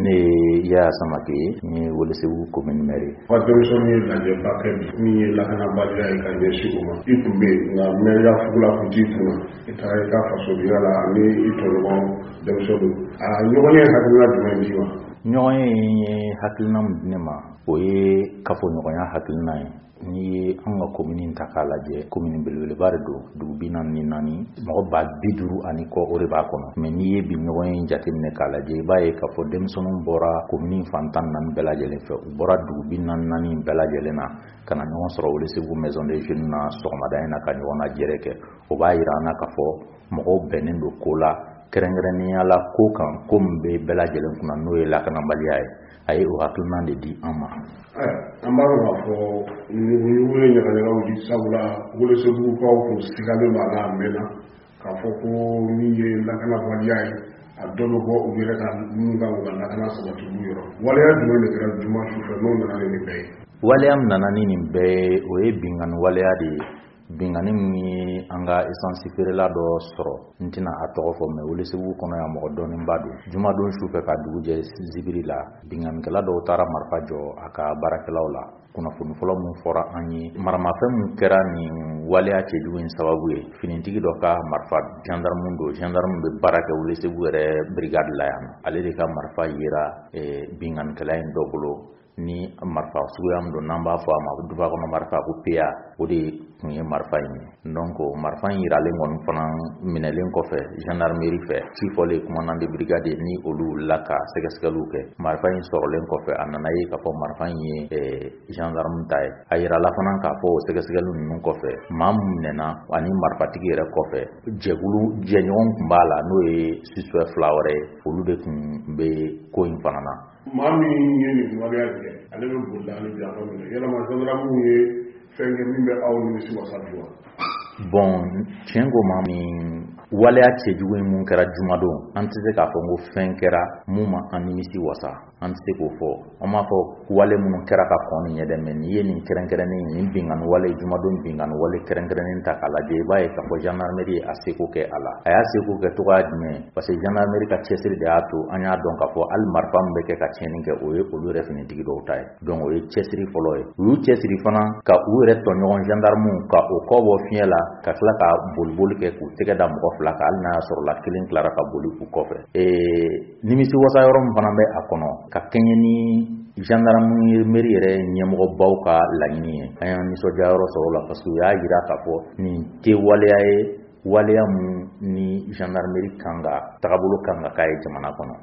Ne ye Yaya Samake ye, n ye Welesebugu commune maire ye. Ka denmisɛnninw ye lajɛba kɛ bi min ye lakanabaliya ye ka ɲɛsin o ma. I tun bɛ yen, nka maire fugula tun t'i kunna. I taara i ka fasodenya la ani i tɔɲɔgɔn denmisɛnninw. A ɲɔgɔn ye hakilina jumɛn d'i ma? Ɲɔgɔn ye hakilina min di ne ma, o ye kafoɲɔgɔnya hakilina ye. N'i ye an ka komini ta k'a lajɛ, komini belebeleba de don, dugu 44, mɔgɔ 50,000 ani kɔ o de b'a kɔnɔ. Mais n'i ye bi ɲɔgɔn ye jateminɛ k'a lajɛ, i b'a ye k'a fɔ denmisɛnninw bɔra komini fan 14 bɛɛ lajɛlen fɛ. U bɔra dugu 44 bɛɛ lajɛlen na ka na ɲɔgɔn sɔrɔ Welesebugu maison des jeunes na sɔgɔmada in na ka ɲɔgɔn lajɛrɛ kɛ. O b'a yira an na k'a fɔ mɔgɔw bɛnnen don ko la, kɛrɛnkɛrɛnnenya la ko kan, ko min bɛ bɛɛ lajɛlen kunna, n'o ye lakanabaliya ye. A ye o hakilina de di an ma. An b'a dɔn k'a fɔ ɲugu ye ɲagaɲaga wuli, sabula Welesebugukaw kun sigalen b'a la a mɛnna k'a fɔ ko min ye lakanabaliya ye, a dɔ bɛ bɔ u yɛrɛ ka minnu kan k'u ka lakana sabati olu yɔrɔ. Waleya jumɛn de kɛra juma sufɛ n'o nana ni nin bɛɛ ye? Waleya min nana ni nin bɛɛ ye, o ye binkanni waleya de ye. Binkanni min ye an ka essence feerela dɔ sɔrɔ, n tɛna a tɔgɔ fɔ, mais Welesebugu kɔnɔ yan mɔgɔ dɔnnenba don. Jumadon sufɛ ka dugu jɛ zibiri la, binkannikɛla dɔw taara marifa jɔ a ka baarakɛlaw la. Kunnafoni fɔlɔ min fɔra an ye, maramafɛn min kɛra nin waleya cɛjugu in sababu ye, finitigi dɔ ka marifa, gendarme don, gendarme bɛ baara kɛ Welesebugu yɛrɛ brigade la yan, ale de ka marifa yera binkannikɛla in dɔ bolo. Ni marifa suguya min don, n'an b'a fɔ a ma duba kɔnɔ marifa ko PA, o de tun ye marifa in ye. Donc marifa in yiralen kɔni fana minɛlen kɔfɛ gendarmerie fɛ, ci fɔlen commandant de brigade ni olu wulila ka sɛgɛsɛgɛliw kɛ. Marifa in sɔrɔlen kɔfɛ, a nana ye k'a fɔ marifa in ye gendarme ta ye. A yirala fana k'a fɔ o sɛgɛsɛgɛli ninnu kɔfɛ, maa min minɛna ani marifatigi yɛrɛ kɔfɛ, jɛkulu jɛɲɔgɔn tun b'a la, n'o ye suspect fila wɛrɛ ye, olu de tun bɛ ko in fana na. Maa min ye nin waleya kɛ, ale bɛ bolila hali bi a ma minɛ. Yalama gendarmew ye fɛn kɛ min bɛ aw nimisi wasa bi wa? Bon, tiɲɛ ko ma, nin waleya cɛjugu in mun kɛra jumadon, an tɛ se k'a fɔ ko fɛn kɛra mun ma an nimisi wasa. An tɛ se k'o fɔ. An b'a fɔ wale minnu kɛra ka kɔn nin ɲɛ dɛ, mais n'i ye nin kɛrɛnkɛrɛnnen, nin binkanni wale, jumadon binkanni wale kɛrɛnkɛrɛnnen ta k'a lajɛ, i b'a ye k'a fɔ gendarmerie ye a seko kɛ a la. A y'a seko kɛ cogoya jumɛn? Parce que gendarmerie ka cɛsiri de y'a to an y'a dɔn k'a fɔ hali marifa min bɛ kɛ ka tiɲɛni kɛ, o ye olu yɛrɛ finitigi dɔw ta ye. Donc o ye cɛsiri fɔlɔ ye. U y'u cɛsiri fana ka u yɛrɛ tɔɲɔgɔn gendarmew ka o kɔ bɔ fiɲɛ la, ka tila ka boliboli kɛ k'u tɛgɛ da mɔgɔ fila kan, hali n'a y'a sɔrɔ la kelen tilara ka boli u kɔfɛ. Nimisi wasa yɔrɔ min fana bɛ a kɔnɔ, ka kɛɲɛ ni gendarmerie yɛrɛ ɲɛmɔgɔbaw ka laɲini ye, an y'an nisɔndiya yɔrɔ sɔrɔ o la, parce que u y'a yira k'a fɔ nin tɛ waleya ye, waleya mun ni gendarmerie kan ka tagabolo kan ka k'a ye jamana kɔnɔ.